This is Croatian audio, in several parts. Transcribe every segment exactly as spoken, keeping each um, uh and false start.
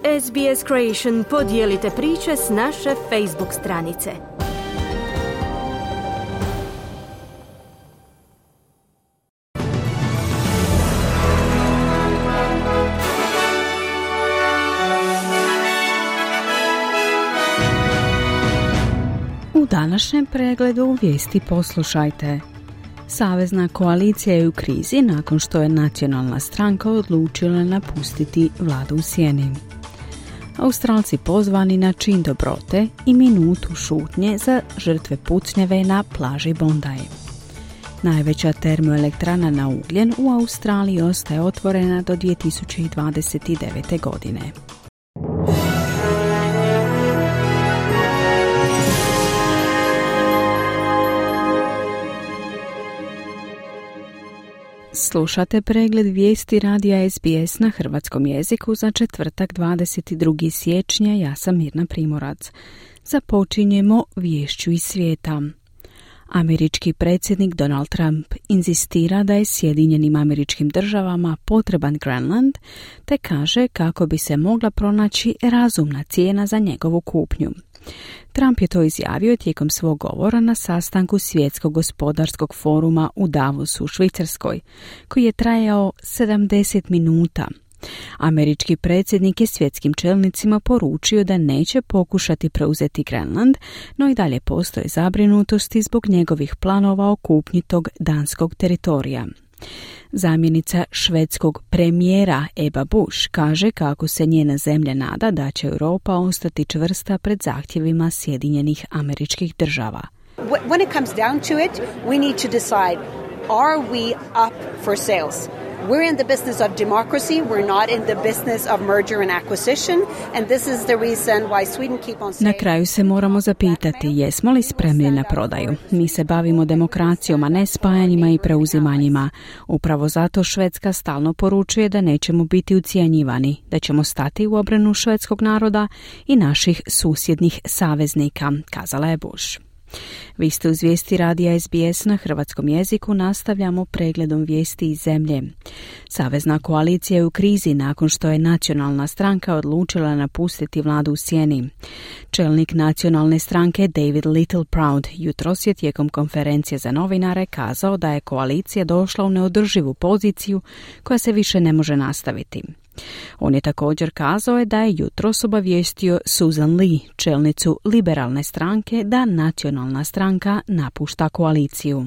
S B S Creation podijelite priče s naše Facebook stranice. U današnjem pregledu vijesti poslušajte. Savezna koalicija je u krizi nakon što je nacionalna stranka odlučila napustiti vladu u sjeni. Australci pozvani na čin dobrote i minutu šutnje za žrtve pucnjave na plaži Bondi. Najveća termoelektrana na ugljen u Australiji ostaje otvorena do dvije tisuće dvadeset devete. godine. Slušate pregled vijesti radija S B S na hrvatskom jeziku za četvrtak dvadeset drugi siječnja. Ja sam Mirna Primorac. Započinjemo viješću iz svijeta. Američki predsjednik Donald Trump inzistira da je Sjedinjenim Američkim Državama potreban Grenland, te kaže kako bi se mogla pronaći razumna cijena za njegovu kupnju. Trump je to izjavio tijekom svog govora na sastanku Svjetskog gospodarskog foruma u Davosu u Švicarskoj, koji je trajao sedamdeset minuta. Američki predsjednik je svjetskim čelnicima poručio da neće pokušati preuzeti Grenland, no i dalje postoje zabrinutosti zbog njegovih planova o kupnji tog danskog teritorija. Zamjenica švedskog premijera Ebba Busch kaže kako se njena zemlja nada da će Europa ostati čvrsta pred zahtjevima Sjedinjenih Američkih Država. When it comes down to it, we need to decide, are we up for sales? We're in the business of democracy. We're not in the business of merger and acquisition. And this is the reason why Sweden keep on saying... Na kraju se moramo zapitati jesmo li spremni na prodaju. Mi se bavimo demokracijom, a ne spajanjima i preuzimanjima. Upravo zato Švedska stalno poručuje da nećemo biti ucijenjivani, da ćemo stati u obranu švedskog naroda i naših susjednih saveznika, kazala je Bush. Vi ste uz vijesti radija S B S na hrvatskom jeziku, nastavljamo pregledom vijesti iz zemlje. Savezna koalicija je u krizi nakon što je nacionalna stranka odlučila napustiti vladu u sjeni. Čelnik nacionalne stranke David Littleproud jutros je tijekom konferencije za novinare kazao da je koalicija došla u neodrživu poziciju koja se više ne može nastaviti. On je također kazao je da je jutros obavijestio Susan Lee, čelnicu liberalne stranke, da nacionalna stranka napušta koaliciju.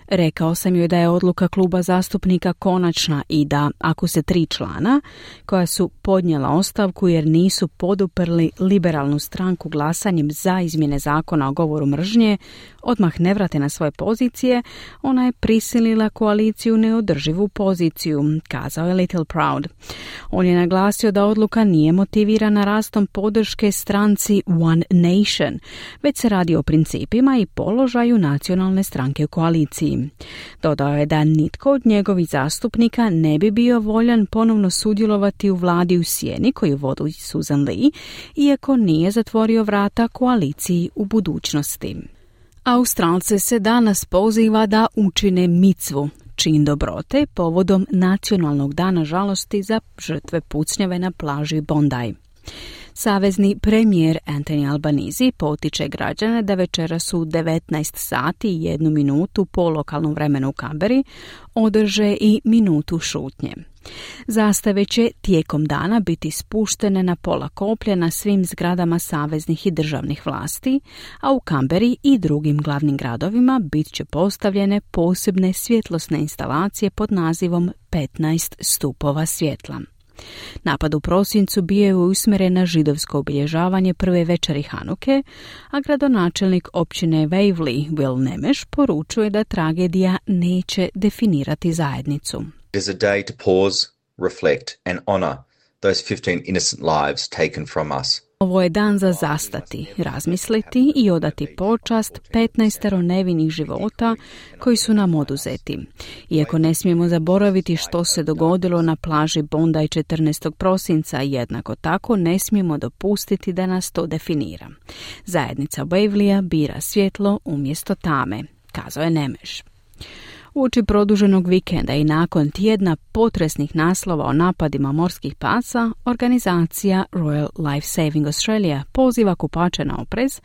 Rekao sam joj da je odluka kluba zastupnika konačna i da, ako se tri člana, koja su podnijela ostavku jer nisu poduprli liberalnu stranku glasanjem za izmjene zakona o govoru mržnje, odmah ne vrate na svoje pozicije, ona je prisilila koaliciju neodrživu poziciju, kazao je Littleproud. On je naglasio da odluka nije motivirana rastom podrške stranci One Nation, već se radi o principima i položaju nacionalne stranke u koaliciji. Dodao je da nitko od njegovih zastupnika ne bi bio voljan ponovno sudjelovati u vladi u sjeni koju vodi Susan Lee, iako nije zatvorio vrata koaliciji u budućnosti. Australce se danas poziva da učine micvu, čin dobrote, povodom Nacionalnog dana žalosti za žrtve pucnjave na plaži Bondi. Savezni premijer Anthony Albanese potiče građane da večeras u devetnaest sati i jednu minutu po lokalnom vremenu u Kamberi održe i minutu šutnje. Zastave će tijekom dana biti spuštene na pola koplja na svim zgradama saveznih i državnih vlasti, a u Kamberi i drugim glavnim gradovima bit će postavljene posebne svjetlosne instalacije pod nazivom petnaest stupova svjetla. Napad u prosincu bio je usmjeren na židovsko obilježavanje prve večeri Hanuke, a gradonačelnik općine Waverley Will Nemeš poručuje da tragedija neće definirati zajednicu. It is a day to pause, reflect and honor those fifteen innocent lives taken from us. Ovo je dan za zastati, razmisliti i odati počast petnaestero nevinih života koji su nam oduzeti. Iako ne smijemo zaboraviti što se dogodilo na plaži Bondi četrnaestog prosinca, jednako tako ne smijemo dopustiti da nas to definira. Zajednica Waverleya bira svjetlo umjesto tame, kazao je Nemeš. Uoči produženog vikenda i nakon tjedna potresnih naslova o napadima morskih pasa, organizacija Royal Life Saving Australia poziva kupače na oprez,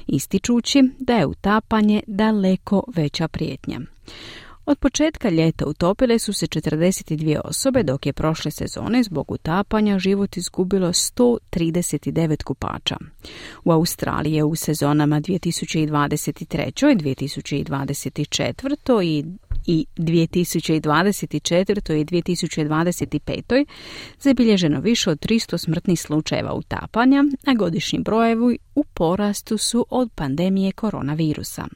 ističući da je utapanje daleko veća prijetnja. Od početka ljeta utopile su se četrdeset dvije osobe, dok je prošle sezone zbog utapanja život izgubilo sto trideset devet kupača. U Australiji je u sezonama dvije tisuće dvadeset treće, dvije tisuće dvadeset četvrte i i dvije tisuće dvadeset četvrte i dvije tisuće dvadeset pete zabilježeno više od tristo smrtnih slučajeva utapanja, a godišnji brojevi u porastu su od pandemije koronavirusa.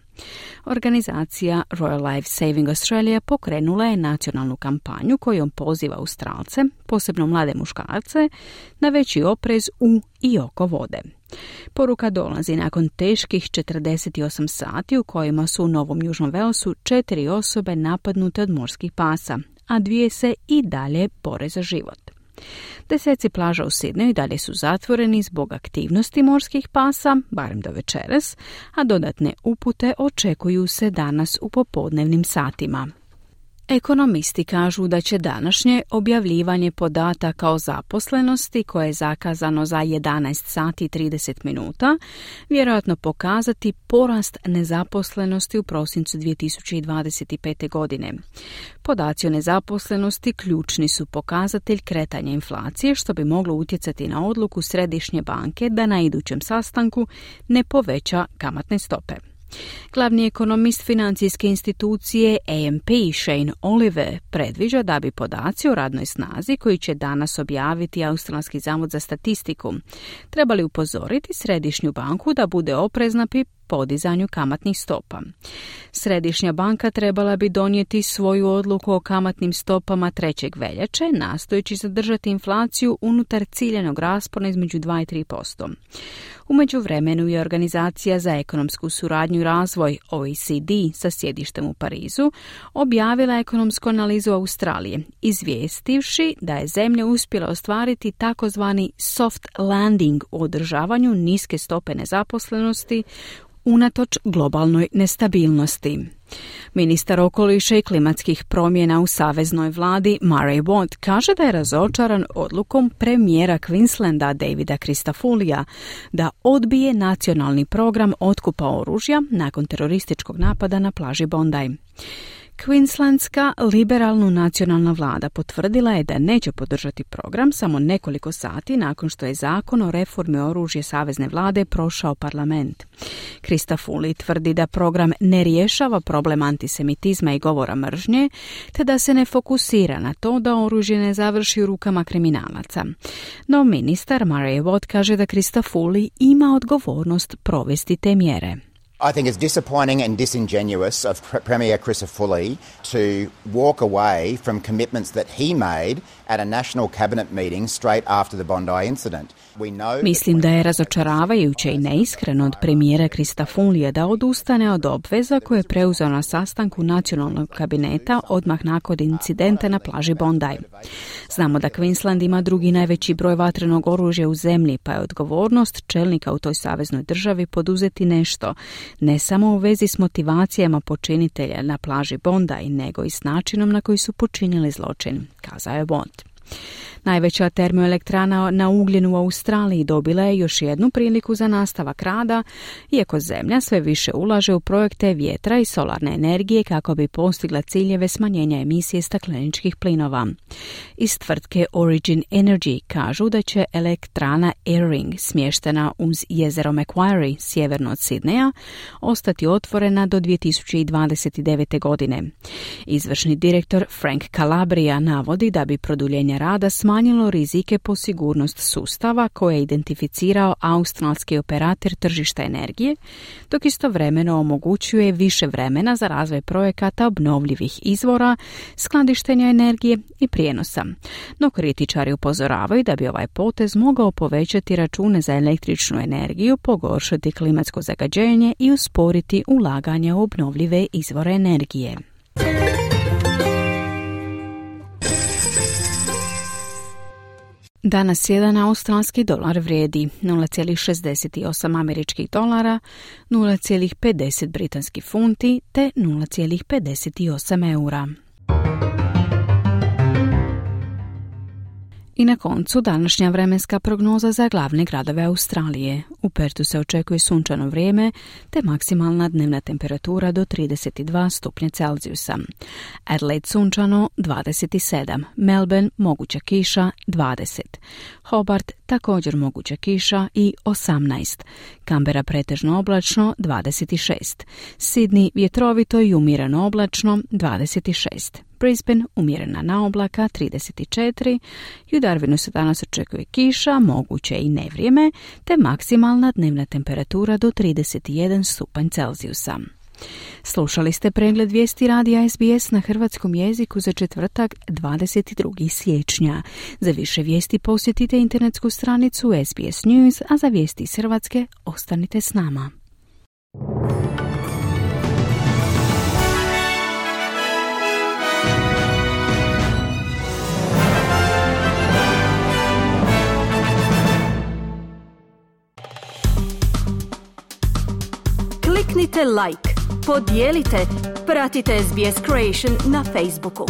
Organizacija Royal Life Saving Australia pokrenula je nacionalnu kampanju kojom poziva Australce, posebno mlade muškarce, na veći oprez u i oko vode. Poruka dolazi nakon teških četrdeset osam sati u kojima su u Novom Južnom Walesu četiri osobe napadnute od morskih pasa, a dvije se i dalje bore za život. Deseci plaža u Sidneju i dalje su zatvoreni zbog aktivnosti morskih pasa, barem do večeras, a dodatne upute očekuju se danas u popodnevnim satima. Ekonomisti kažu da će današnje objavljivanje podataka o zaposlenosti, koje je zakazano za jedanaest sati i trideset minuta, vjerojatno pokazati porast nezaposlenosti u prosincu dvije tisuće dvadeset pete. godine. Podaci o nezaposlenosti ključni su pokazatelj kretanja inflacije, što bi moglo utjecati na odluku Središnje banke da na idućem sastanku ne poveća kamatne stope. Glavni ekonomist financijske institucije A M P Shane Oliver predviđa da bi podaci o radnoj snazi koji će danas objaviti Australski zavod za statistiku trebali upozoriti Središnju banku da bude oprezna pri podizanju kamatnih stopa. Središnja banka trebala bi donijeti svoju odluku o kamatnim stopama trećeg veljače, nastojeći zadržati inflaciju unutar ciljanog raspona između dva i tri posto. U međuvremenu je Organizacija za ekonomsku suradnju i razvoj O E C D sa sjedištem u Parizu objavila ekonomsku analizu Australije, izvijestivši da je zemlja uspjela ostvariti takozvani soft landing u održavanju niske stope nezaposlenosti unatoč globalnoj nestabilnosti. Ministar okoliša i klimatskih promjena u saveznoj vladi Murray Watt kaže da je razočaran odlukom premijera Queenslanda Davida Christofulija da odbije nacionalni program otkupa oružja nakon terorističkog napada na plaži Bondi. Queenslandska liberalno nacionalna vlada potvrdila je da neće podržati program samo nekoliko sati nakon što je zakon o reformi oružja savezne vlade prošao parlament. Christofouli tvrdi da program ne rješava problem antisemitizma i govora mržnje, te da se ne fokusira na to da oružje ne završi u rukama kriminalaca. No ministar Murray Watt kaže da Christofouli ima odgovornost provesti te mjere. I think it's disappointing and disingenuous of Premier Christofouli to walk away from commitments that he made at a national cabinet meeting straight after the Bondi incident. Mislim da je razočaravajuće i neiskreno od premijera Christofoulija da odustane od obveza koje je preuzeo na sastanku nacionalnog kabineta odmah nakon incidenta na plaži Bondi. Znamo da Queensland ima drugi najveći broj vatrenog oružja u zemlji, pa je odgovornost čelnika u toj saveznoj državi poduzeti nešto, ne samo u vezi s motivacijama počinitelja na plaži Bondi, nego i s načinom na koji su počinili zločin, kazao je Watt. Najveća termoelektrana na ugljen u Australiji dobila je još jednu priliku za nastavak rada, iako zemlja sve više ulaže u projekte vjetra i solarne energije kako bi postigla ciljeve smanjenja emisije stakleničkih plinova. Iz tvrtke Origin Energy kažu da će elektrana Eyring, smještena uz jezero Macquarie, sjeverno od Sidneja, ostati otvorena do dvije tisuće dvadeset devete. godine. Izvršni direktor Frank Calabria navodi da bi produljenje rada smanjilo rizike po sigurnost sustava koje je identificirao australski operator tržišta energije, dok istovremeno omogućuje više vremena za razvoj projekata obnovljivih izvora, skladištenja energije i prijenosa. No kritičari upozoravaju da bi ovaj potez mogao povećati račune za električnu energiju, pogoršati klimatsko zagađenje i usporiti ulaganja u obnovljive izvore energije. Danas jedan australski dolar vrijedi nula zarez šezdeset osam američkih dolara, nula zarez pedeset britanskih funti te nula zarez pedeset osam eura. I na koncu današnja vremenska prognoza za glavne gradove Australije. U Pertu se očekuje sunčano vrijeme te maksimalna dnevna temperatura do trideset dva stupnja Celzijusa. Adelaide sunčano dvadeset sedam, Melbourne moguća kiša dvadeset, Hobart također moguća kiša i osamnaest, Canberra pretežno oblačno dvadeset šest, Sydney vjetrovito i umjereno oblačno dvadeset šest, Brisbane umjerena na oblaka trideset četiri, i u Darwinu se danas očekuje kiša, moguće i nevrijeme, te maksimalna dnevna temperatura do trideset jedan stupanj Celzijusa. Slušali ste pregled vijesti radija S B S na hrvatskom jeziku za četvrtak dvadeset drugog siječnja. Za više vijesti posjetite internetsku stranicu S B S News, a za vijesti iz Hrvatske ostanite s nama. Kliknite like, podijelite, pratite S B S Creation na Facebooku.